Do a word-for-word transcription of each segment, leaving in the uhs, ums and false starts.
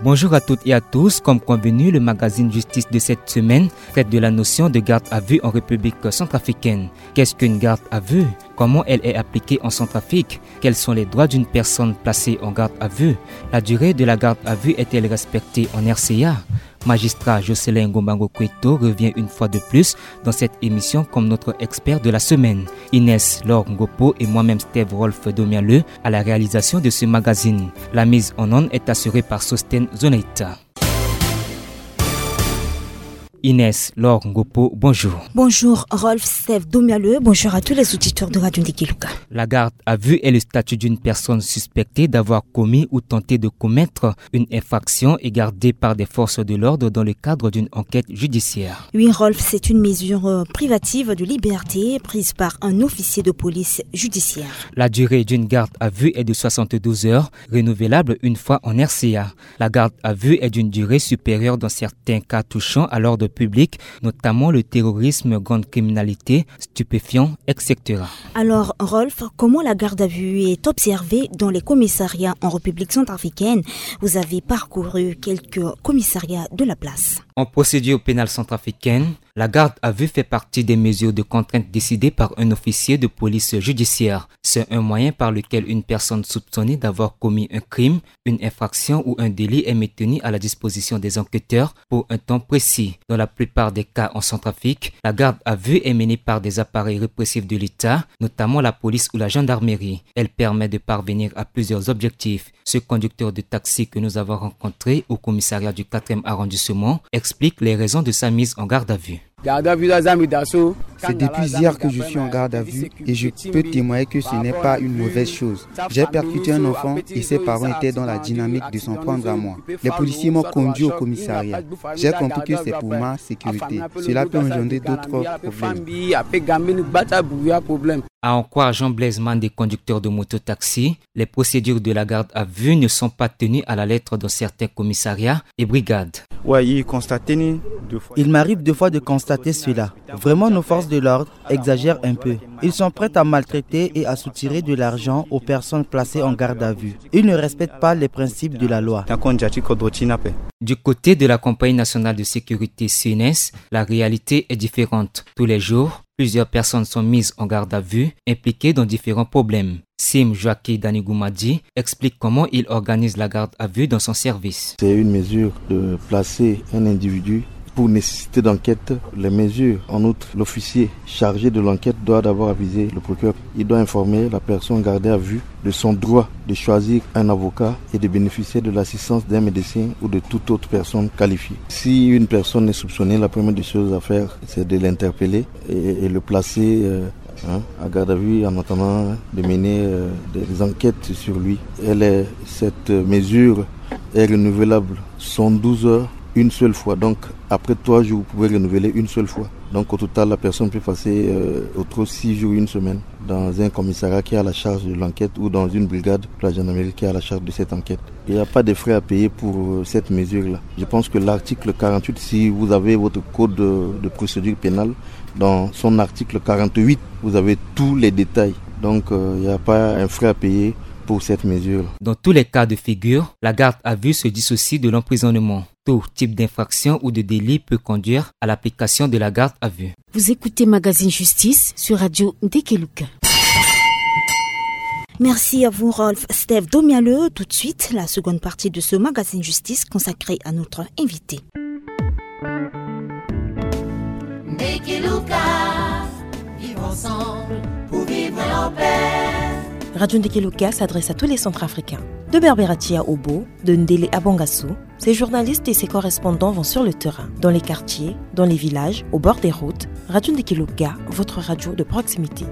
Bonjour à toutes et à tous. Comme convenu, le magazine Justice de cette semaine traite de la notion de garde à vue en République centrafricaine. Qu'est-ce qu'une garde à vue ? Comment elle est appliquée en Centrafrique ? Quels sont les droits d'une personne placée en garde à vue ? La durée de la garde à vue est-elle respectée en R C A ? Magistrat Jocelyn Ngombango Kweto revient une fois de plus dans cette émission comme notre expert de la semaine. Inès Laure Ngopo et moi-même Steve Rolf Domialeu à la réalisation de ce magazine. La mise en onde est assurée par Sosten Zonaita. Inès Laure Ngopo, bonjour. Bonjour Rolf, Steve Domialeu, bonjour à tous les auditeurs de Radio Ndiki Luka. La garde à vue est le statut d'une personne suspectée d'avoir commis ou tenté de commettre une infraction et gardée par des forces de l'ordre dans le cadre d'une enquête judiciaire. Oui Rolf, c'est une mesure euh, privative de liberté prise par un officier de police judiciaire. La durée d'une garde à vue est de soixante-douze heures, renouvelable une fois en R C A. La garde à vue est d'une durée supérieure dans certains cas touchant à l'ordre public, notamment le terrorisme, grande criminalité, stupéfiants, et cetera. Alors Rolf, comment la garde à vue est observée dans les commissariats en République centrafricaine ? Vous avez parcouru quelques commissariats de la place. En procédure pénale centrafricaine, la garde à vue fait partie des mesures de contrainte décidées par un officier de police judiciaire. C'est un moyen par lequel une personne soupçonnée d'avoir commis un crime, une infraction ou un délit est maintenue à la disposition des enquêteurs pour un temps précis. Dans la plupart des cas en Centrafrique, la garde à vue est menée par des appareils répressifs de l'État, notamment la police ou la gendarmerie. Elle permet de parvenir à plusieurs objectifs. Ce conducteur de taxi que nous avons rencontré au commissariat du quatrième arrondissement explique les raisons de sa mise en garde à vue. C'est depuis hier que je suis en garde à vue et je peux témoigner que ce n'est pas une mauvaise chose. J'ai percuté un enfant et ses parents étaient dans la dynamique de s'en prendre à moi. Les policiers m'ont conduit au commissariat. J'ai compris que c'est pour ma sécurité. Cela peut engendrer d'autres problèmes. À en croire Jean Blaise Mandé, conducteur de mototaxi, les procédures de la garde à vue ne sont pas tenues à la lettre dans certains commissariats et brigades. Il m'arrive deux fois de constater cela. Vraiment, nos forces de l'ordre exagèrent un peu. Ils sont prêts à maltraiter et à soutirer de l'argent aux personnes placées en garde à vue. Ils ne respectent pas les principes de la loi. Du côté de la Compagnie nationale de sécurité C N S, la réalité est différente. Tous les jours, plusieurs personnes sont mises en garde à vue, impliquées dans différents problèmes. Sim Joaquin Danigumadi explique comment il organise la garde à vue dans son service. C'est une mesure de placer un individu pour nécessité d'enquête. Les mesures, en outre, l'officier chargé de l'enquête doit d'abord aviser le procureur. Il doit informer la personne gardée à vue de son droit de choisir un avocat et de bénéficier de l'assistance d'un médecin ou de toute autre personne qualifiée. Si une personne est soupçonnée, la première des choses à faire, c'est de l'interpeller et, et le placer euh, hein, à garde à vue en attendant de mener euh, des enquêtes sur lui. Elle est, cette mesure est renouvelable cent douze heures une seule fois. Donc, après trois jours, vous pouvez renouveler une seule fois. Donc, au total, la personne peut passer euh, au trop six jours, une semaine, dans un commissariat qui a la charge de l'enquête ou dans une brigade de la gendarmerie qui a la charge de cette enquête. Il n'y a pas de frais à payer pour euh, cette mesure-là. Je pense que l'article quarante-huit, si vous avez votre code de, de procédure pénale, dans son article quarante-huit, vous avez tous les détails. Donc, euh, il n'y a pas un frais à payer pour cette mesure. Dans tous les cas de figure, la garde à vue se dissocie de l'emprisonnement. Tout type d'infraction ou de délit peut conduire à l'application de la garde à vue. Vous écoutez Magazine Justice sur Radio Ndekeluka. Merci à vous, Rolf Steve Domialeu. Tout de suite, la seconde partie de ce magazine Justice consacrée à notre invité. Ndekeluka, vivre ensemble pour vivre en paix. Radio Ndekeluka s'adresse à tous les Centrafricains, de Berberatia au Bo, de Ndele à Bangassou. Ces journalistes et ces correspondants vont sur le terrain, dans les quartiers, dans les villages, au bord des routes. Radio Ndekeluka, votre radio de proximité.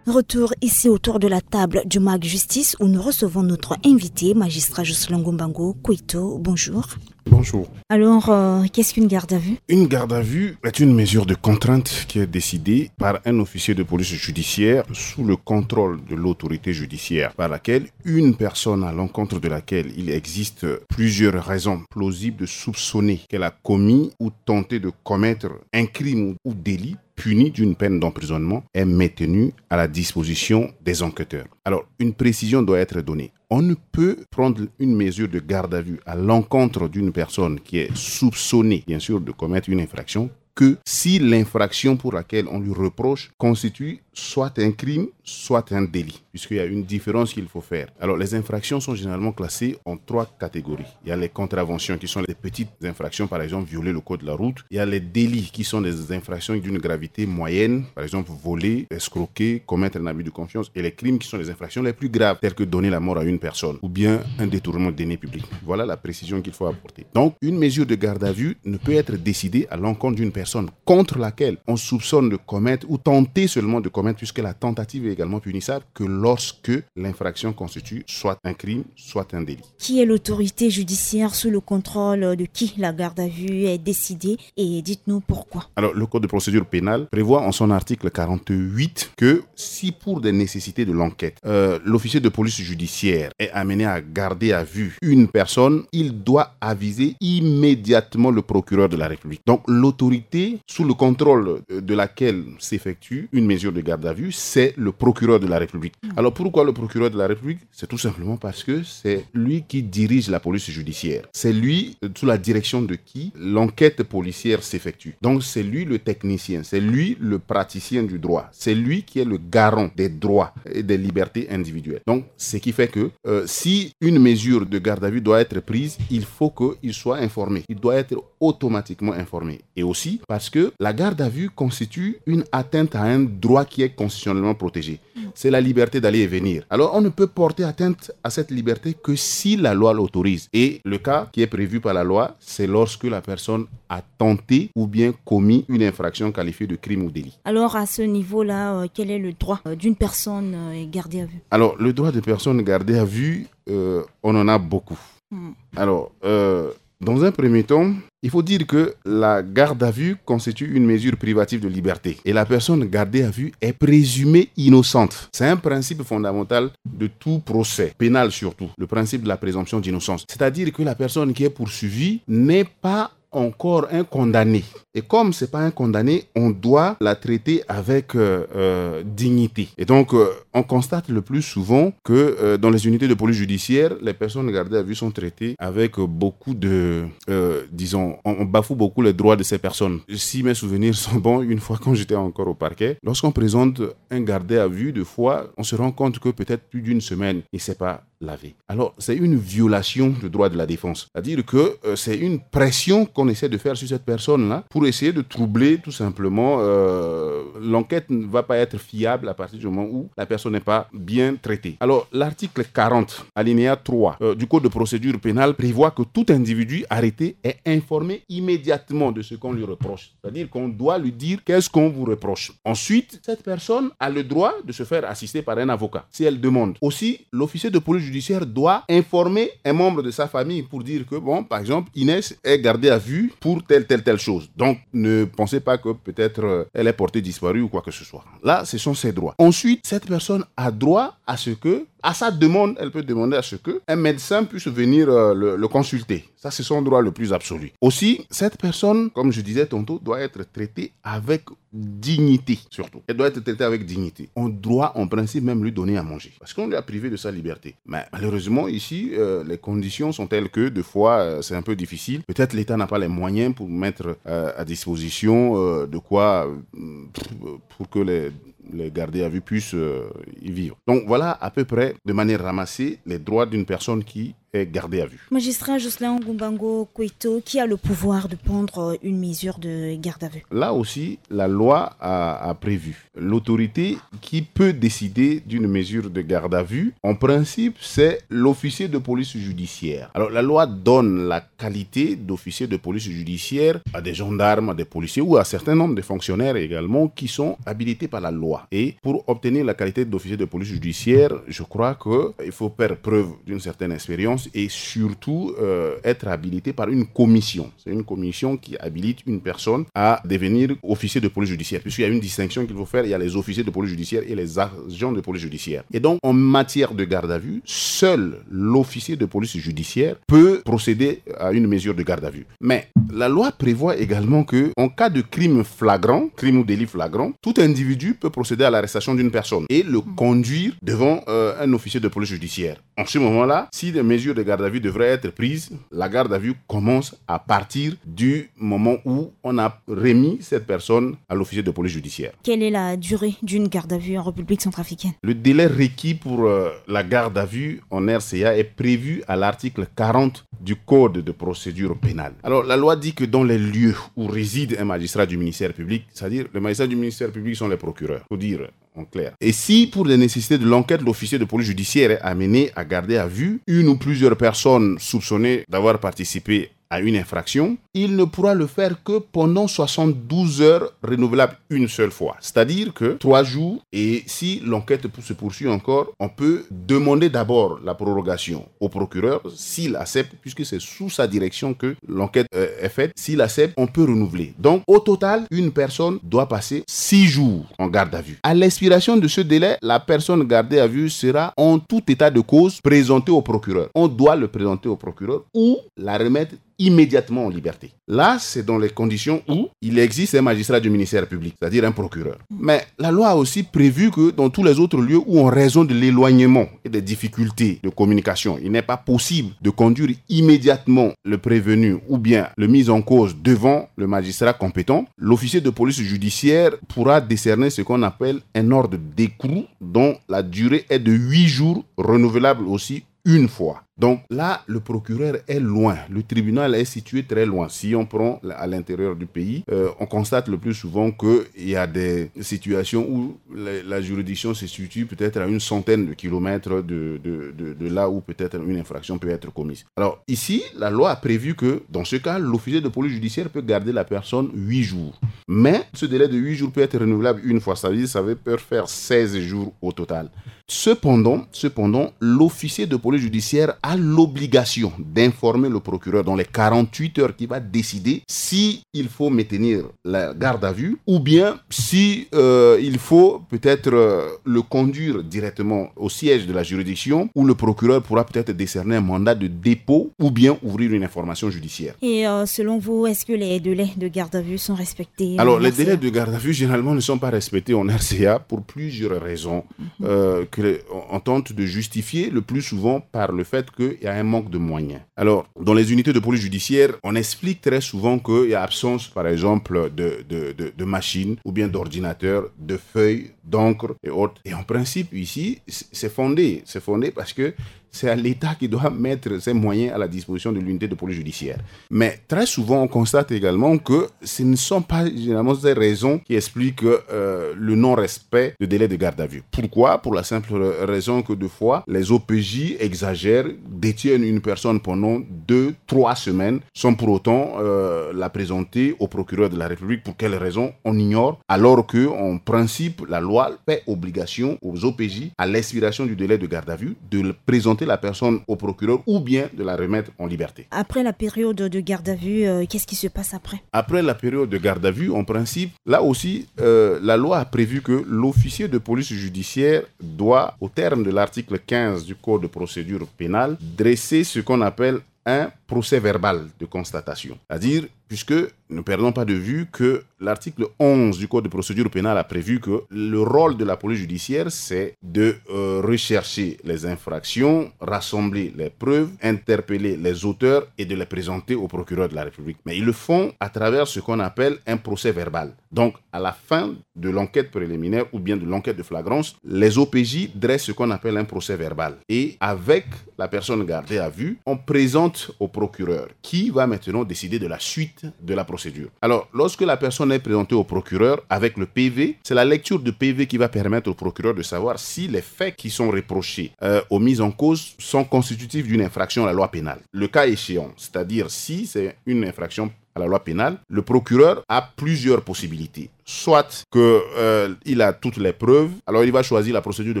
Retour ici autour de la table du Mag Justice où nous recevons notre invité, magistrat Jocelyn Ngombango Kweto. Bonjour. Bonjour. Alors, euh, qu'est-ce qu'une garde à vue ? Une garde à vue est une mesure de contrainte qui est décidée par un officier de police judiciaire sous le contrôle de l'autorité judiciaire, par laquelle une personne à l'encontre de laquelle il existe plusieurs raisons plausibles de soupçonner qu'elle a commis ou tenté de commettre un crime ou délit puni d'une peine d'emprisonnement est maintenue à la disposition des enquêteurs. Alors, une précision doit être donnée. On ne peut prendre une mesure de garde à vue à l'encontre d'une personne qui est soupçonnée, bien sûr, de commettre une infraction que si l'infraction pour laquelle on lui reproche constitue soit un crime, soit un délit, puisqu'il y a une différence qu'il faut faire. Alors, les infractions sont généralement classées en trois catégories. Il y a les contraventions, qui sont les petites infractions, par exemple, violer le code de la route. Il y a les délits, qui sont des infractions d'une gravité moyenne, par exemple, voler, escroquer, commettre un abus de confiance, et les crimes, qui sont les infractions les plus graves, telles que donner la mort à une personne ou bien un détournement de deniers publics. Voilà la précision qu'il faut apporter. Donc, une mesure de garde à vue ne peut être décidée à l'encontre d'une personne contre laquelle on soupçonne de commettre ou tenter seulement de commettre, puisque la tentative est également punissable, que lorsque l'infraction constitue soit un crime, soit un délit. Qui est l'autorité judiciaire sous le contrôle de qui la garde à vue est décidée, et dites-nous pourquoi ? Alors, le code de procédure pénale prévoit en son article quarante-huit que si pour des nécessités de l'enquête, euh, l'officier de police judiciaire est amené à garder à vue une personne, il doit aviser immédiatement le procureur de la République. Donc, l'autorité sous le contrôle, euh, de laquelle s'effectue une mesure de garde à vue, c'est le procureur de la République. Alors, pourquoi le procureur de la République ? C'est tout simplement parce que c'est lui qui dirige la police judiciaire. C'est lui, euh, sous la direction de qui l'enquête policière s'effectue. Donc, c'est lui le technicien, c'est lui le praticien du droit, c'est lui qui est le garant des droits et des libertés individuelles. Donc, ce qui fait que, euh, si une mesure de garde à vue doit être prise, il faut qu'il soit informé. Il doit être automatiquement informé. Et aussi parce que la garde à vue constitue une atteinte à un droit qui est constitutionnellement protégé. C'est la liberté d'aller et venir. Alors, on ne peut porter atteinte à cette liberté que si la loi l'autorise. Et le cas qui est prévu par la loi, c'est lorsque la personne a tenté ou bien commis une infraction qualifiée de crime ou délit. Alors, à ce niveau-là, euh, quel est le droit, euh, d'une personne, euh, gardée à vue ? Alors, le droit des personnes gardées à vue, euh, on en a beaucoup. Hmm. Alors, euh, dans un premier temps, il faut dire que la garde à vue constitue une mesure privative de liberté et la personne gardée à vue est présumée innocente. C'est un principe fondamental de tout procès, pénal surtout, le principe de la présomption d'innocence. C'est-à-dire que la personne qui est poursuivie n'est pas encore un condamné. Et comme c'est pas un condamné, on doit la traiter avec, euh, euh, dignité. Et donc, euh, on constate le plus souvent que, euh, dans les unités de police judiciaire, les personnes gardées à vue sont traitées avec, euh, beaucoup de, euh, disons, on, on bafoue beaucoup les droits de ces personnes. Si mes souvenirs sont bons, une fois quand j'étais encore au parquet, lorsqu'on présente un gardé à vue, de fois, on se rend compte que peut-être plus d'une semaine, il ne s'est pas lavé. Alors, c'est une violation du droit de la défense. C'est-à-dire que, euh, c'est une pression qu'on essaie de faire sur cette personne-là pour essayer de troubler tout simplement, euh, l'enquête ne va pas être fiable à partir du moment où la personne n'est pas bien traitée. Alors, l'article quarante, alinéa trois, euh, du Code de procédure pénale prévoit que tout individu arrêté est informé immédiatement de ce qu'on lui reproche. C'est-à-dire qu'on doit lui dire qu'est-ce qu'on vous reproche. Ensuite, cette personne a le droit de se faire assister par un avocat si elle demande. Aussi, l'officier de police judiciaire doit informer un membre de sa famille pour dire que, bon, par exemple, Inès est gardée à vue pour telle, telle, telle chose. Donc, ne pensez pas que peut-être, euh, elle est portée disparue ou quoi que ce soit. Là, ce sont ses droits. Ensuite, cette personne a droit à ce que, à sa demande, elle peut demander à ce que un médecin puisse venir, euh, le, le consulter. Ça, c'est son droit le plus absolu. Aussi, cette personne, comme je disais tantôt, doit être traitée avec dignité, surtout. Elle doit être traitée avec dignité. On doit, en principe, même lui donner à manger. Parce qu'on lui a privé de sa liberté. Mais malheureusement, ici, euh, les conditions sont telles que, de fois, euh, c'est un peu difficile. Peut-être l'État n'a pas les moyens pour mettre, euh, à disposition, euh, de quoi, euh, pour que les, les gardés à vue puissent, euh, y vivre. Donc voilà à peu près, de manière ramassée, les droits d'une personne qui est gardée à vue. Magistrat Jocelyn Ngumbango Kweto, qui a le pouvoir de prendre, euh, une mesure de garde à vue ? Là aussi, la loi a, a prévu l'autorité qui peut décider d'une mesure de garde à vue. En principe, c'est l'officier de police judiciaire. Alors, la loi donne la qualité d'officier de police judiciaire à des gendarmes, à des policiers ou à un certain nombre de fonctionnaires également qui sont habilités par la loi. Et pour obtenir la qualité d'officier de police judiciaire, je crois que il faut faire preuve d'une certaine expérience. et surtout euh, être habilité par une commission. C'est une commission qui habilite une personne à devenir officier de police judiciaire, puisqu'il y a une distinction qu'il faut faire. Il y a les officiers de police judiciaire et les agents de police judiciaire. Et donc, en matière de garde à vue, seul l'officier de police judiciaire peut procéder à une mesure de garde à vue. Mais la loi prévoit également que, en cas de crime flagrant, crime ou délit flagrant, tout individu peut procéder à l'arrestation d'une personne et le conduire devant euh, un officier de police judiciaire. En ce moment-là, si des mesures de garde à vue devraient être prises, la garde à vue commence à partir du moment où on a remis cette personne à l'officier de police judiciaire. Quelle est la durée d'une garde à vue en République centrafricaine ? Le délai requis pour euh, la garde à vue en R C A est prévu à l'article quarante du Code de procédure pénale. Alors, la loi dit que dans les lieux où réside un magistrat du ministère public, c'est-à-dire le magistrat du ministère public sont les procureurs, faut dire en clair. Et si, pour des nécessités de l'enquête, l'officier de police judiciaire est amené à garder à vue une ou plusieurs personnes soupçonnées d'avoir participé à une infraction, il ne pourra le faire que pendant soixante-douze heures renouvelables une seule fois. C'est-à-dire que trois jours, et si l'enquête se poursuit encore, on peut demander d'abord la prorogation au procureur, s'il accepte, puisque c'est sous sa direction que l'enquête euh, est faite, s'il accepte, on peut renouveler. Donc, au total, une personne doit passer six jours en garde à vue. À l'expiration de ce délai, la personne gardée à vue sera en tout état de cause présentée au procureur. On doit le présenter au procureur ou la remettre immédiatement en liberté. Là, c'est dans les conditions où il existe un magistrat du ministère public, c'est-à-dire un procureur. Mais la loi a aussi prévu que dans tous les autres lieux où, en raison de l'éloignement et des difficultés de communication, il n'est pas possible de conduire immédiatement le prévenu ou bien le mis en cause devant le magistrat compétent, l'officier de police judiciaire pourra décerner ce qu'on appelle un ordre d'écrou dont la durée est de huit jours, renouvelable aussi une fois. Donc là, le procureur est loin. Le tribunal est situé très loin. Si on prend à l'intérieur du pays, euh, on constate le plus souvent qu'il y a des situations où la, la juridiction se situe peut-être à une centaine de kilomètres de, de, de, de là où peut-être une infraction peut être commise. Alors ici, la loi a prévu que dans ce cas, l'officier de police judiciaire peut garder la personne huit jours. Mais ce délai de huit jours peut être renouvelable une fois. Ça veut dire que ça peut faire seize jours au total. Cependant, cependant, l'officier de police judiciaire a l'obligation d'informer le procureur dans les quarante-huit heures qui va décider si il faut maintenir la garde à vue ou bien si euh, il faut peut-être euh, le conduire directement au siège de la juridiction où le procureur pourra peut-être décerner un mandat de dépôt ou bien ouvrir une information judiciaire. Et euh, selon vous, est-ce que les délais de garde à vue sont respectés ? Alors, les délais de garde à vue, généralement, ne sont pas respectés en R C A pour plusieurs raisons euh, que, on tente de justifier le plus souvent par le fait qu'il y a un manque de moyens. Alors, dans les unités de police judiciaire, on explique très souvent qu'il y a absence, par exemple, de, de, de, de machines ou bien d'ordinateurs, de feuilles, d'encre et autres. Et en principe, ici, c'est fondé. C'est fondé parce que c'est à l'État qui doit mettre ses moyens à la disposition de l'unité de police judiciaire. Mais très souvent, on constate également que ce ne sont pas généralement ces raisons qui expliquent euh, le non-respect de délai de garde à vue. Pourquoi ? Pour la simple raison que de fois, les O P J exagèrent, détiennent une personne pendant deux, trois semaines, sans pour autant euh, la présenter au procureur de la République. Pour quelle raison ? On ignore, alors que en principe, la loi fait obligation aux O P J, à l'expiration du délai de garde à vue, de présenter la personne au procureur ou bien de la remettre en liberté. Après la période de garde à vue, euh, qu'est-ce qui se passe après ? Après la période de garde à vue, en principe, là aussi, euh, la loi a prévu que l'officier de police judiciaire doit, au terme de l'article quinze du Code de procédure pénale, dresser ce qu'on appelle un procès-verbal de constatation. C'est-à-dire, puisque ne perdons pas de vue que l'article onze du Code de procédure pénale a prévu que le rôle de la police judiciaire, c'est de euh, rechercher les infractions, rassembler les preuves, interpeller les auteurs et de les présenter au procureur de la République. Mais ils le font à travers ce qu'on appelle un procès-verbal. Donc, à la fin de l'enquête préliminaire ou bien de l'enquête de flagrance, les O P J dressent ce qu'on appelle un procès-verbal. Et avec la personne gardée à vue, on présente au procureur qui va maintenant décider de la suite de la procédure. Alors, lorsque la personne est présentée au procureur avec le P V, c'est la lecture du P V qui va permettre au procureur de savoir si les faits qui sont reprochés euh, aux mises en cause sont constitutifs d'une infraction à la loi pénale. Le cas échéant, c'est-à-dire si c'est une infraction à la loi pénale, le procureur a plusieurs possibilités. Soit que, euh, il a toutes les preuves, alors il va choisir la procédure de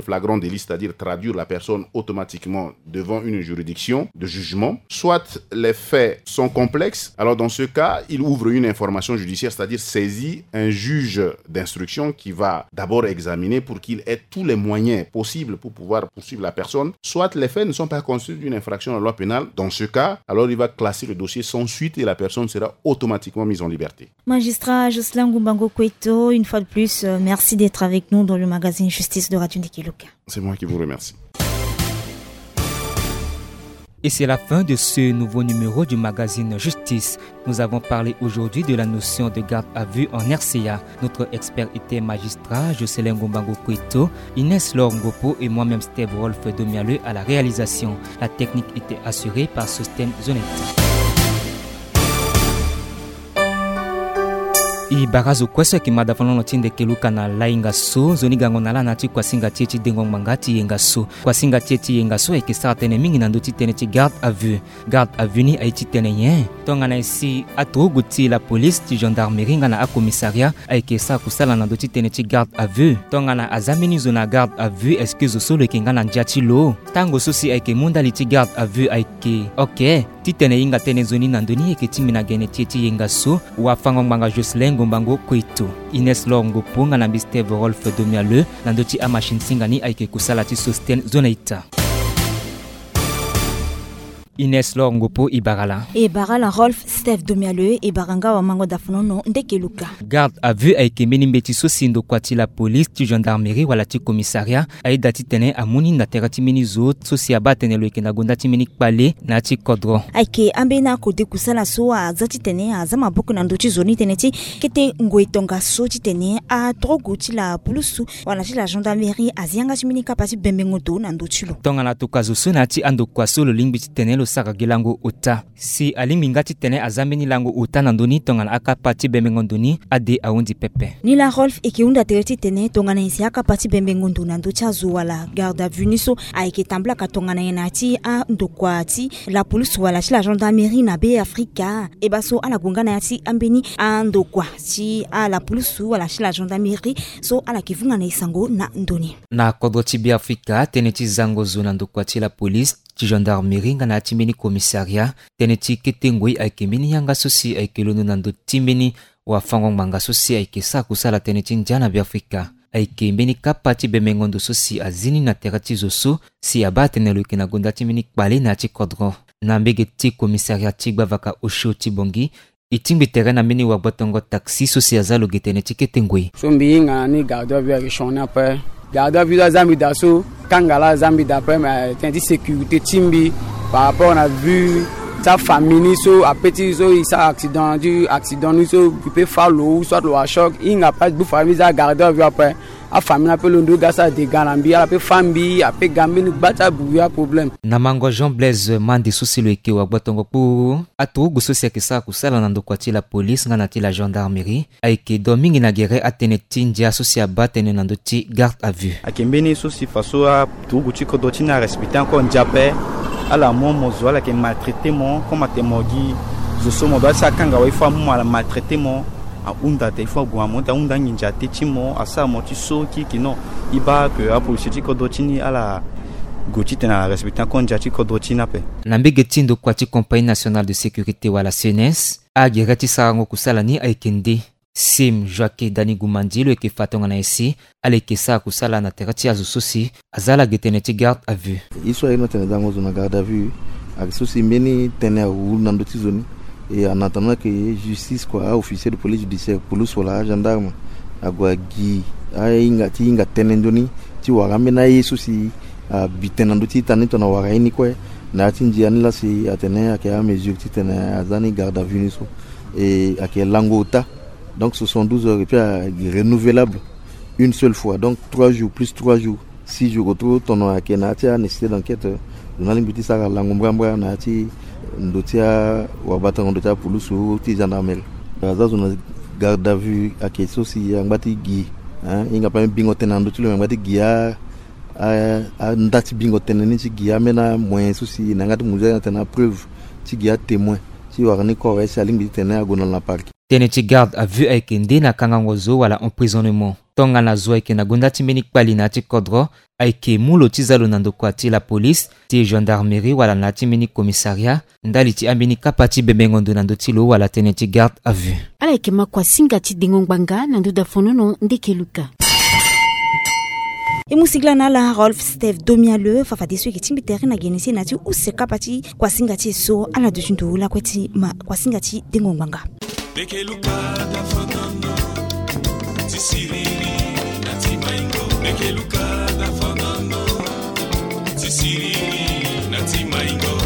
flagrant délit, c'est-à-dire traduire la personne automatiquement devant une juridiction de jugement. Soit les faits sont complexes, alors dans ce cas, il ouvre une information judiciaire, c'est-à-dire saisit un juge d'instruction qui va d'abord examiner pour qu'il ait tous les moyens possibles pour pouvoir poursuivre la personne. Soit les faits ne sont pas constitutifs d'une infraction à la loi pénale. Dans ce cas, alors il va classer le dossier sans suite et la personne sera automatiquement mise en liberté. Magistrat Jocelyn Ngumbango Kweto, une fois de plus, euh, merci d'être avec nous dans le magazine Justice de Radio Ndiki Luka. C'est moi qui vous remercie. Et c'est la fin de ce nouveau numéro du magazine Justice. Nous avons parlé aujourd'hui de la notion de garde à vue en R C A. Notre expert était magistrat Jocelyn Ngumbango Kweto, Inès Laure Ngopo et moi-même Steve Rolf Domialeux à la réalisation. La technique était assurée par Sosten Zonette. E bara zo kue so ayeke mada fanono ti ndeke luka na lainga so, nzoni gango na ala na ya ti kuasinga ti e ti dengo ngbanga ti yenga so. Kuasinga ti e ti yenga so ayeke sara tënë mingi na ndö ti tënë ti garde à vue. Garde à vue ni aye ti tene nyen? Tongana e si aturugu ti la police, ti gendarmerie nga na acommissariat ayeke sara kusala na ndö ti tënë ti garde à vue. Tongana aza mbeni zo na garde à vue, est-ce que zo so lo yeke nga na ndia ti lo? Tango so si ayeke mu ndali ti garde à vue ayeke oke. Titene e hinga tënë nzoni na ndö ni, e yeke tingbi na gene ti e ti yenga so, wafango-ngbanga Jocelyn Ngumbango Kweto, Inès Laure Ngopo nga na mbi Steve Rolf Domialeux, na ndö ti amachine singa ni ayeke kusala ti Sosten Zonaita. Inès Laure Ngopo, e bara la. E bara la Rolf Steve Domialeux, e bara nga wamango dafanono ndeke luka. Garde à vue ayeke mbeni mbeti so si ndokua ti la police, ti gendarmerie wala ti commissariat ayeda titene amu ni na tere ti mbeni zo so si abaa tene lo yeke na gonda ti mbeni kpale na ya ti kodro. Ayeke ambeni akode kusala so aza titene aza maboko na ndö ti zo ni tënë ti kete ngoi tongaso titene aturugu ti la pulusu wala ti la gendarmerie azi yanga ti mbeni kapa ti bembengo ndo na ndö ti lo. Tongana tokua zo so na ya ti andokua so lo lingbi titene lo sara gi lango ota. Si alingbi nga titene aza mbeni lango ota na ndö ni, tongana akapa ti bembengo ndo ni ade ahunzi pepe. Nilaa Rolf, e yeke hunda tere titene tongana e si akapa ti bembengo ndo na ndö ti azo wala garde à vue ni so ayeke tamblaka tongana nyen na ya ti andokua ti la police wala ti la gendarmerie na Be Afrika. E baa so ala gue nga na ya ti ambeni andokua ti ala police wala ti la gendarmerie so ala yeke vunga na e sango na ndö ni. Na kodro ti Be Afrika, tënë ti zango zo na ndokua ti la police, ti gendarmerie nga na ya ti mbeni commissariat, tënë ti kete ngoi ayeke mbeni yanga so si ayeke londo na ndö ti mbeni wafango-ngbanga so si ayeke sara kusala tënë ti ndia na Be Afrika. Ayeke mbeni kapa ti bembengo ndo so si azi ni na tere ti zo so si abaa tene lo yeke na gonda ti mbeni kpale na ya ti kodro. Na mbege ti commissariat ti gbavaka osio ti Bangui, e tingbi tere na mbeni wagbotongo taxi so si aza lo ge tënë ti kete ngoi. So mbi hinga na ni garde à vue ayeke sioni ape. Garde à vue so aza mbi daa so, kanga laa aza mbi daa ape, me tënë ti sécurité ti mbi par rapport na vue ti afamille ni so ape ti so e sara accident, ti accident ni so e peut fâ lo ou soit lo wa choc, e hinga ape gbu famille za garde à vue ape. Afamille ni ape londo e ga sara dégât na mbi, ala peut fâ mbi, ape ga mbeni gba ti abubi aproblème. Na mango Jean Blaise Mande so si lo yeke wagbotongo kpuru aturugu so si ayeke sara kusala na ndokua ti la police nga na ti la gendarmerie, ayeke do mingi na gere atënë ti ndia so si abaa tënë na ndö ti garde à vue. Ayeke mbeni so si faso aturugu ti kodro ti ni arespecté encore ndia ape. Ala mu mo zo, ala yeke maltraité mo, comme atene mo gi zo so mo doit ti akanga wa, il faut amu mo, ala maltraité mo. Ahunda ate, il faut ague na mo ti ahunda nginza te ti mo, asara mo ti so kirikiri. Non, e baa que apolisi ti kodro ti ni ala gue titene ala respecté encore ndia ti kodro ti ni ape. Na mbege ti ndokua ti Compagnie Nationale de Sécurité wala C N S, agere ti sarango kusala ni ayeke nde. Sim Joaquin Dani Gumandi lo yeke fa tongana nyen si ala yeke sara kusala na tere ti azo so si aza ala ge tënë ti garde à vue. Ye so aye ni atene zango zo na garde à vue, ayeke so si mbeni tënë awu na ndö ti zo ni. Et en attendant que justice kua, a-officier de police judiciaire, pulus wala agendarme ague agi ahinga ti hinga tënë nzoni ti wara ambeni aye so si abi tënë na ndö ti ita ni tongana wara ye ni kue. Na ya ti ndia ni laa si atene ayeke amesure titene aza ni garde à vue ni so. E ayeke lango ota. Donc soixante-douze heures et puis ayeke renouvelable une seule fois. Donc trois jours plus trois jours, six jours, retrouve tono ayeke na ya ti anécessité d'enquête. Lo na lingbi ti sara lango mbrambra na ya ti ndo ti awabatango ndo ti apulusu ti gendarmerie. Aza zo na garde à vue ayeke so si angba ti gi, hein, hinga pe bingo tënë na ndö ti lo, me angba ti gi a, a, a nda ti bingo tënë ni ti gi ambeni amoyen so si na yanga ti mu nzoni atene apreuve ti gi atémoin. ti wara ni kue awe si alingbi titene ague na lo na parquet. Tënë ti garde à vue ayeke nde na kangango zo wala emprisonnement. Tongana zo ayeke na gonda ti mbeni kpali na ya ti kodro, ayeke mu lo ti za lo na ndokua ti la police, ti gendarmerie wala na ya ti mbeni commissariat, ndali ti ambeni kapa ti bembengo ndo na ndö ti lo wala tënë ti garde à vue. Ala yeke ma kuasinga ti dengo ngbanga na ndö dafonono ndeke luka. E mu singila na ala Rolf Steve Domiale, fafadeso e yeke tingbi tere na gene ti e na ya ti use kapa ti kuasinga ti e so. Ala duti ndo lakue ti ma kuasinga ti dengo ngbanga. Meke luka da fanano, ti siriri na ti maingo. Meke luka da fanano, ti siriri na ti maingo.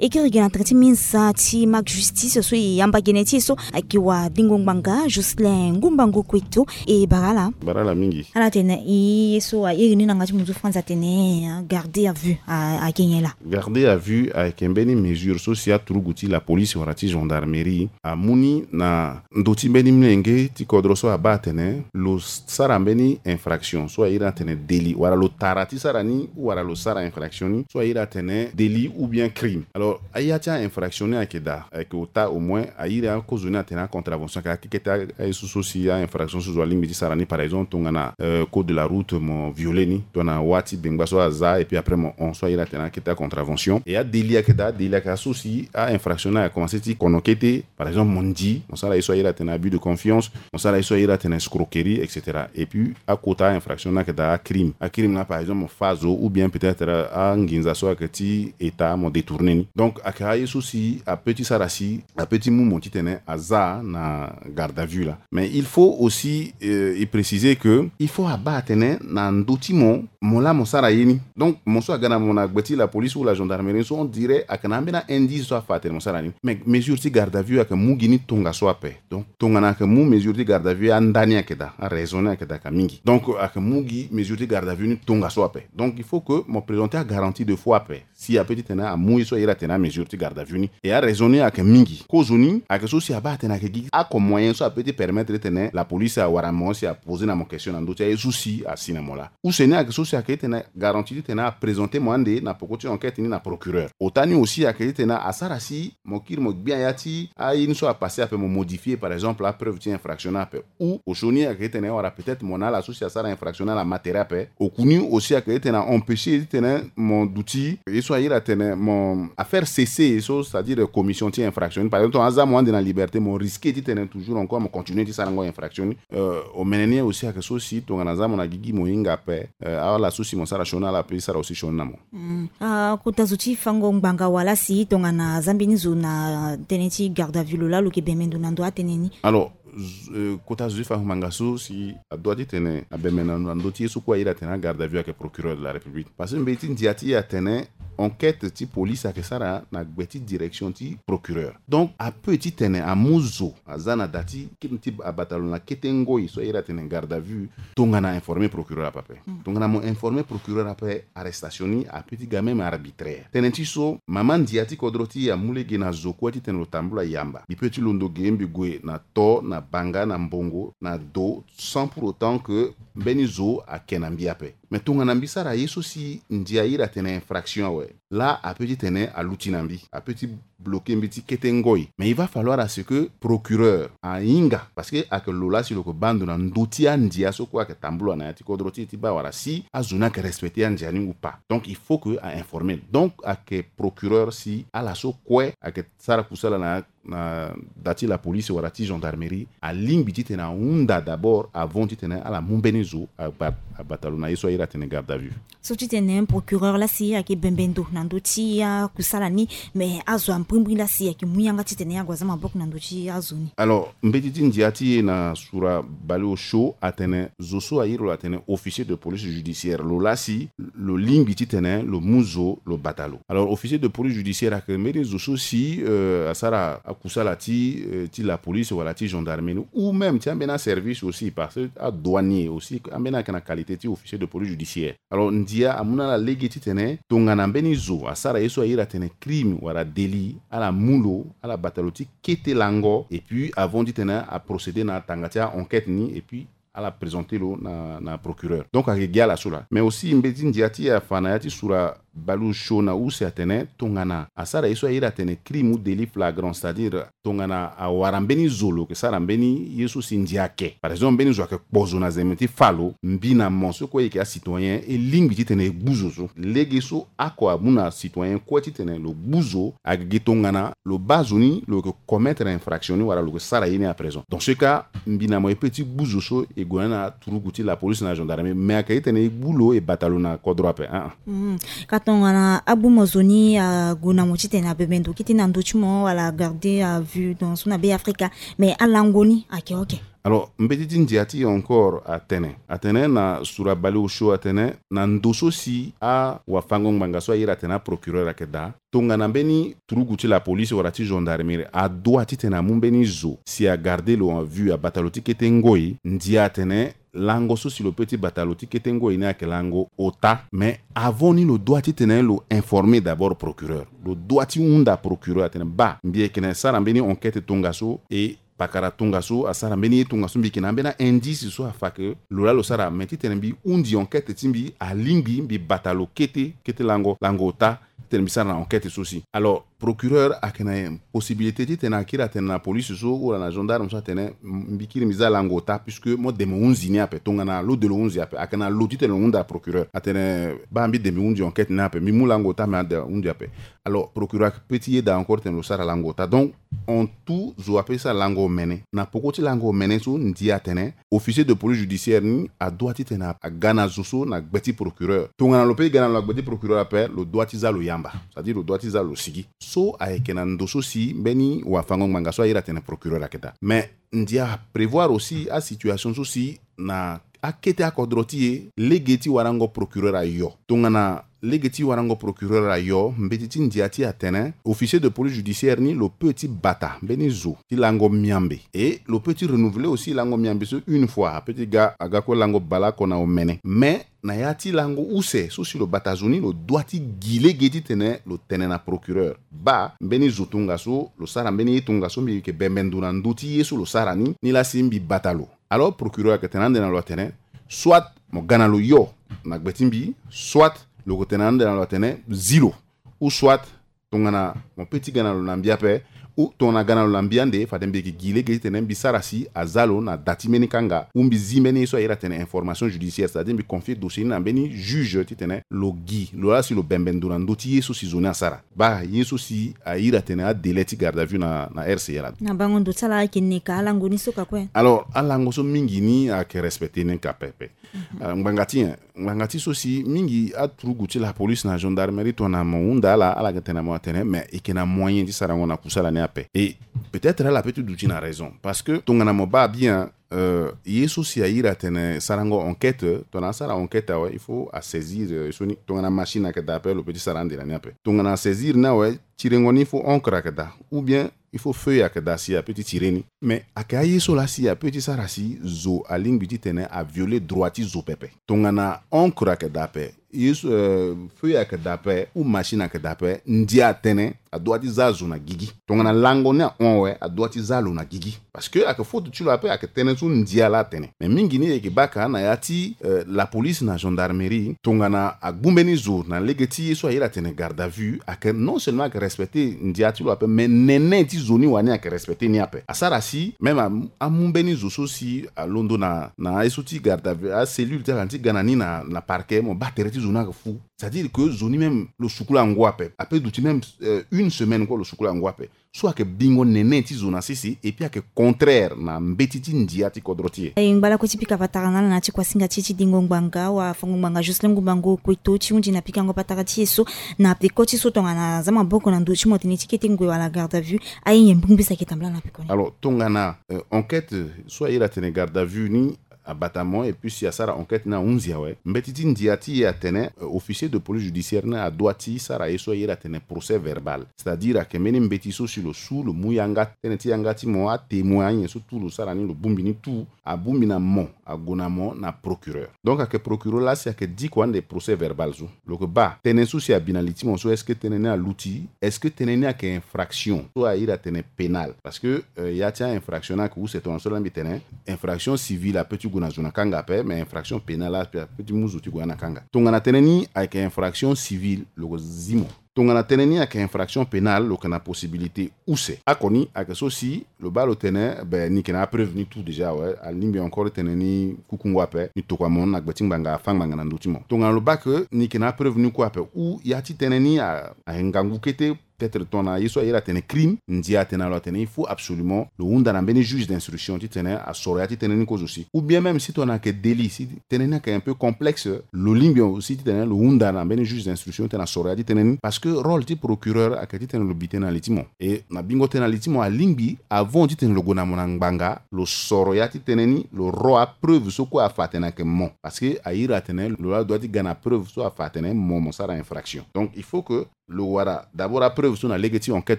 E kiri gi na tënë ti minza ti Marc Justice so e yamba gene ti e so ayeke wa dengo ngbanga Jocelyn Ngumbango Kueto. E bara ala. Bara ala mingi. Ala tene e ye so a iri ni na yanga ti munzu France atene, hein, garde à vue a, ayeke nyen laa? Garde à vue ayeke mbeni mesure so si aturugu ti la police wala ti gendarmerie amu ni na ndö ti mbeni molenge ti kodro so abaa atene lo sara mbeni infraction so a iri atene délit wala lo tara ti sara ni ou wala lo sara infraction ni so a iri atene délit ou bien crime. Alors, aya ti a-infraction ni ayeke daa, ayeke ota au moins a iri akozoni atene a-contravention, ayeke akekete a-, aye so so si a-infraction so zo alingbi ti sara ni, par exemple tongana, euh, code de la route mo violer ni, tongana wâ ti bengba so aza et puis après mo hon, so a iri atene akete a-contravention. Et a-délit ayeke daa, a-délit ayeke aso si a-infraction ni ayeke commencer ti kono kete, par exemple mo ndi, mo sara ye so a iri atene abus de confiance, mo sara ye so a iri atene escroquerie, et cetera. Et puis akota a-infraction ni ayeke daa a-crime. A-crime ni, par exemple mo fâ zo ou bien peut-être anginza so ayeke ti État mo détourner ni. Donc ayeke aye so si apeut ti sara si apeut ti mu mo titene aza na garde à vue laa. Mais il faut aussi, euh, e préciser que il faut abaa atene na ndö ti mo, mo laa mo sara ye ni. Donc mo so aga na mo na gbe ti la police ou la gendarmerie so, on dirait ayeke na ambeni a-indice so afa atene mo sara ni. Mais mesure ti garde à vue ayeke mu gi ni tongaso ape. Donc tongana ayeke mu mesure ti garde à vue, andani ayeke daa, araison ni ayeke daa ka mingi. Donc ayeke mu gi mesure ti garde à vue ni tongaso ape. Donc il faut que mo présenter a-garantie de faux ape si apeut titene amu ye so a iri atene a-mesure ti garde à vue ni. Et araison ni ayeke mingi. Kozoni ayeke so si abaa atene ayeke gi oko moyen so apeut ti permettre titene la police awara mo si aposer na mo question na ndö ti aye so si asi na mo laa. Use ni ayeke so si ayeke titene garantie titene aprésenter mo ande na peko ti enquête ni na procureur. Ota ni aussi ayeke titene asara si mo kiri mo gbia ya ti aye ni so apasser ape, mo modifier par exemple apreuve ti infraction ni ape. Ou osioni ayeke titene awara peut-être mo na ala so si asara infraction ni ala ma tere ape. Oku ni aussi ayeke titene a-empêcher titene mo duti ye so a iri atene mo a-faire cesser ye so, c'est-à-dire commission ti infraction ni. Par exemple tongana aza mo ande na liberté, mo risquer titene toujours encore mo continuer ti sarango infraction ni. Euh, omene ni aussi ayeke so si tongana aza mo na gigi mo hinga ape, euh, ala so si mo sara sioni ala pe sara aussi sioni na mo. Mm. Ah, kota zo ti fango ngbanga wala si tongana aza mbeni zo na tënë ti garde à vue, lo laa lo yeke bembe ndo na ndo atënë ni? Alors, z-, euh, kota zo ti fango ngbanga so si adoit titene abembe na, na ndö ti ye so kue a iri atene a-garde à vue ayeke procureur de la République. Parce que mbeti ti ndia ti e atene enquête ti police ayeke sara na gbe ti direction ti procureur. Donc apeut titene amu zo aza na da ti kiri ti abata lo na kete ngoi so a iri atene garde à vue, tongana a-informer procureur ape ape. Mm. Tongana mo informer procureur ape, arrestation ni apeut ti ga même arbitraire. Tënë ti so mama ndia ti kodro ti e amu lege na zo kue titene lo tambula yamba. Mbi peut ti londo ge, mbi gue na to, na banga, na mbongo, na do, sans pour autant que mbeni zo ake na mbi ape. Mais tongana mbi sara ye so si ndia a iri atene infraction awe, laa apeut titene aluti na mbi, apeut ti bloquer mbi ti kete ngoi. Mais il va falloir à ce que procureur ahinga, parce que ayeke lo laa si lo yeke baa ndo na ndö ti andia so kue ayeke tambula na ya ti kodro ti e ti baa wala si azo ni ayeke respecter andia ni ou pas. Donc il faut que a-informer. Donc ayeke procureur si ala so kue ayeke sara kusala na, na da ti la police wala ti gendarmerie alingbi titene ahunda d'abord avant titene ala mu mbeni zo aba-, abata lo na ye so a iri atene garde à vue. So ti tene procureur laa si ayeke bembe ndo na ndö ti akusala ni, mais azo ambrimbri laa si ayeke mu yanga titene ague aza maboko na ndö ti azo ni. Alors mbeti ti ndia ti e na sura baleosio atene zo so a iri lo atene officier de police judiciaire, lo laa si lo lingbi titene lo mu zo lo bata lo. Alors officier de police judiciaire ayeke mbeni zo so si, euh, asara akusala ti, euh, ti la police wala ti gendarmerie ou même ti ambeni aservice aussi, parce que adouanier aussi ambeni ayeke na qualité ti officier de police judiciaire. Alors ndia amu na ala lege titene tongana mbeni zo asara ye so a iri atene crime wala délit, ala mu lo, ala bata lo ti kete lango, et puis avant titene aprocéder na tanga ti a-enquête ni, et puis ala présenter lo na, na procureur. Donc ayeke gi ala so laa. Mais aussi mbeti ti ndia ti e afa na ya ti sura Baleosho na use atene tongana asara ye so a iri atene crime ou délit flagrant, c'est-à-dire tongana awara mbeni zo lo yeke sara mbeni ye so si ndia ayeke, par exemple mbeni zo ayeke kpo zo na zembe ti fa lo, mbi na mo so kue e yeke acitoyen, e lingbi titene e gbu zo so. Lege so oko amu na citoyen kue titene lo gbu zo ayeke gi tongana lo baa zo ni lo yeke commettre infraction ni wala lo yeke sara ye ni à présent. Dans ce cas, mbi na mo e peut ti gbu zo so e gue na ni na turugu ti la police na gendarmerie, mais ayeke titene e gbu lo e bata lo na kodro ape. Ah, ah. Mm. Ka tongana agbu mo zo ni ague na mo titene abembe ndo kete na ndö ti mo wala garde à vue donc so na Be Afrika, mais alango ni ayeke oke. Alors mbeti ti ndia ti e encore atene, atene na sura Baleosho atene na ndo so si awafango-ngbanga so a iri atene aprocureur ayeke daa, tongana mbeni turugu ti la police wala ti gendarmerie adoit titene amu mbeni zo si agarde lo en vue, abata lo ti kete ngoi, ndia atene lango so si lo peut ti bata lo ti kete ngoi ni ayeke lango ota. Mais avant ni lo doit titene lo informer d'abord procureur. Lo doit ti hunda procureur atene baa, mbi yeke na sara mbeni enquête tongaso, e pakara tongaso asara mbeni ye tongaso, mbi yeke na ambeni a-indice so afa ke lo laa lo sara. Mais titene mbi hundi enquête ti mbi, alingbi mbi bata lo kete, kete lango, lango ota, titene mbi sara na enquête so si. Alors procureur ayeke na possibilité titene akiri atene na police so wala na gendarme so atene, m-, mbi kiri mbi za lango ota puisque mo de mo hunzi ni ape. Tongana lo de lo hunzi ape, ayeke na lo titene lo hunda procureur atene baa, mbi de mbi hunzi enquête ni ape, mbi mu lango ota, me ade hunzi ape. Alors procureur ayeke peut ti yeda encore titene lo sara lango ota. Donc en tout zo apeut ti sara lango omene. Na poko ti lango omene so ndia atene officier de police judiciaire ni adoit titene aga na zo so na gbe ti procureur. Tongana lo peut ti ga na lo na gbe ti procureur ape, lo doit ti za lo yamba, c'est-à-dire lo doit ti za lo sigi. So ayeke na ndo so si mbeni wafango-ngbanga so a iri atene procureur ayeke daa. Mais ndia aprévoir aussi asituation so si na akete akodro ti e, lege ti warango procureur ayo. Tongana lege ti warango procureur ayo, mbeti ti ndia ti e atene officier de police judiciaire ni lo peut ti bata mbeni zo ti lango miambe. Et lo peut ti renouveler aussi lango miambe so une fois, apeut ti ga, aga kue lango baleoko na omene. Mais na ya ti lango use so si lo bata zo ni, lo doit ti gi lege titene lo tene na procureur baa, mbeni zo tongaso lo sara mbeni ye tongaso, mbi yeke bembe ndo na ndö ti ye so lo sara ni, nilaa si mbi bata lo. Alors procureur ayeke tene ande na lo atene soit mo ga na lo yo na gbe ti mbi, soit lo yeke tene ande na lo atene zi lo, ou soit tongana mo peut ti ga na lo na mbi ape, ou tongana aga na lo na mbi ande, fade mbi yeke gi lege titene mbi sara si aza lo na da ti mbeni kanga, ou mbi zi mbeni ye so a iri atene information judiciaire, c'est-à-dire mbi confier dossier ni na mbeni juge titene lo gi, lo laa si lo bembe ndo na ndö ti ye so si zo ni asara. Baa ye so si a iri atene adélai ti garde à vue na, na R C A laa. Na bango ndo ti ala ayeke neka, alango ni so ka kue. Alors alango so mingi ni ayeke respecter ni ka pepe. Mhm. Ah, ngbanga ti nyen? Ngbanga ti so si mingi aturugu ti la police na gendarmerie tongana mo hunda ala, ala yeke tene na mo atene mais e yeke na moyen ti sarango na kusala ni ape. Et peut-être ala peut ti duti na raison, parce que tongana mo baa bien, euh, ye so si a iri atene sarango enquête, tongana asara enquête awe, il faut asaisir, euh, so ni, tongana machine ayeke daa ape, lo peut ti sara ande na ni ape. Tongana asaisir ni awe, tirengo ni il faut encre ayeke daa, ou bien il faut feuille ayeke daa si apeut ti tirer ni. Mais ayeke aye so laa si apeut ti sara si zo alingbi titene avioler droit ti zo pepe. Tongana encre ayeke daa ape, ye so, euh, feuille ayeke daa ape, ou machine ayeke daa ape, ndia atene adoit ti za zo na gigi. Tongana lango ni ahon awe, adoit ti za lo na gigi. Parce que ayeke faute ti lo ape, ayeke tënë so ndia laa atene. Mais mingi ni e yeke baa ka na ya ti, euh, la police na gendarmerie, tongana agbu mbeni zo na lege ti ye so a iri atene garde à vue, ayeke non seulement ayeke respecter ndia ti lo ape, mais nene ti zo ni wani ayeke respecter ni ape. Asara si même a, amu mbeni zo so si alondo na, na aye so ti garde à vue, acellule ti ala ni ti ga na ni na, na parquet, mo baa tere ti zo ni ayeke fu. C'est-à-dire que zo ni même lo sukula ngu ape, apeut duti même, euh, une semaine kue lo sukula ngu ape. So ayeke bingo nene ti zo na sese, et puis ayeke contraire na mbeti ti ndia ti kodro ti e. E ngba lakue ti pika patara na ala na ya ti kuasinga ti e ti dingo ngbanga, wafango-ngbanga Jocelyn Ngumbango Kueto ti hunzi na pikango patara ti e so na peko ti so tongana aza maboko na ndo ti mo tene ti kete ngoi wala garde à vue, aye nyen mbungbisa ayeke tambula na peko ni? Alors tongana, euh, enquête so a iri atene garde à vue ni abata mo, et puis si asara enquête ni ahunzi awe, mbeti ti ndia ti e atene, euh, officier de police judiciaire ni adoit ti sara ye so a iri atene procès verbal. C'est-à-dire ayeke mbeni mbeti so si lo su, lo mu yanga, tënë ti yanga ti mo, atémoin, anyen so tout lo sara ni, lo bongbi ni tout, abongbi na mo, ague na mo na procureur. Donc ayeke procureur laa si ayeke diko ande procès verbal so. Lo yeke baa tënë so si abi na li ti mo so, est-ce que tënë ni aluti? Est-ce que tënë ni ayeke infraction so a iri atene pénal? Parce que, euh, ya ti a-infraction ni ayeke use tongana so laa mbi tene, infraction civile apeut ti gue na zo na kanga ape, mais infraction pénale ape, ape ti mu zo ti gue na kanga. Tongana tënë ni ayeke infraction civile, lo ko zi mo. Tongana tënë ni ayeke infraction pénale, lo yeke na possibilité use. Oko ni ayeke so si lo baa lo tene, be, ni yeke na apreuve ni tout déjà awe, alingbi encore tënë ni kukungo ape, ni tokua mo na gbe ti ngbanga, afâ ngbanga na ndö ti mo. Tongana lo baa ke ni yeke na apreuve ni kue ape, ou ya ti tënë ni a, ayeke ngangu kete, peut-être tongana ye so a iri atene crime, ndia atene na lo atene il faut absolument lo hunda na mbeni juge d'instruction titene asoro ya ti tënë ni kozo si. Ou bien même si tongana ayeke délit, si tënë ni ayeke un peu complexe, lo lingbi aussi titene lo hunda na mbeni juge d'instruction titene asoro ya ti tënë ni, parce que rôle ti procureur ayeke titene lo bi tënë na li ti mo. E na bingo tënë na li ti mo, alingbi avant titene lo gue na mo na ngbanga, lo soro ya ti tënë ni, lo ro apreuve so kue afa atene ayeke mo. Parce que a iri atene lo la droit ti ga na preuve so afa atene mo, mo sara infraction. Donc il faut que lo wara d'abord apreuve so na lege ti enquête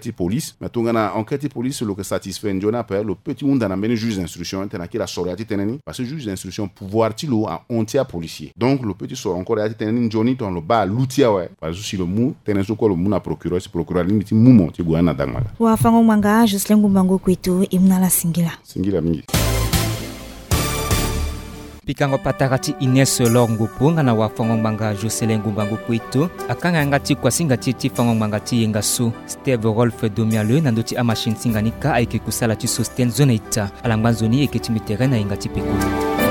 ti police. Mais tongana enquête ti police lo yeke satisfait nzoni ape, lo peut ti hunda na mbeni juge d'instruction titene akiri asoro ya ti tënë ni, parce que juge d'instruction pouvoir ti lo ahon ti apolicier. Donc lo peut ti soro encore ya ti tënë ni nzoni tongana lo baa aluti awe. Parce que si lo mu tënë so kue, lo mu na procureur, si procureur alingbi ti mu mo ti gue na dangmaka. Wafango-ngbanga Jocelyn Ngumbangu Kueto, e mu na ala singila. Singila mingi. Pikango patara ti Ines Lor Ngopo nga na wafango-ngbanga Jocelyn Ngumbangu Kueto akanga yanga ti kuasinga ti e ti fango-ngbanga ti yenga so, Steve Rolf Domiale, na ndö ti amachine ti nga ni kâ ayeke kusala ti Sosten Zonaita. Ala ngba nzoni, e yeke ti mbi tere na yenga ti peko.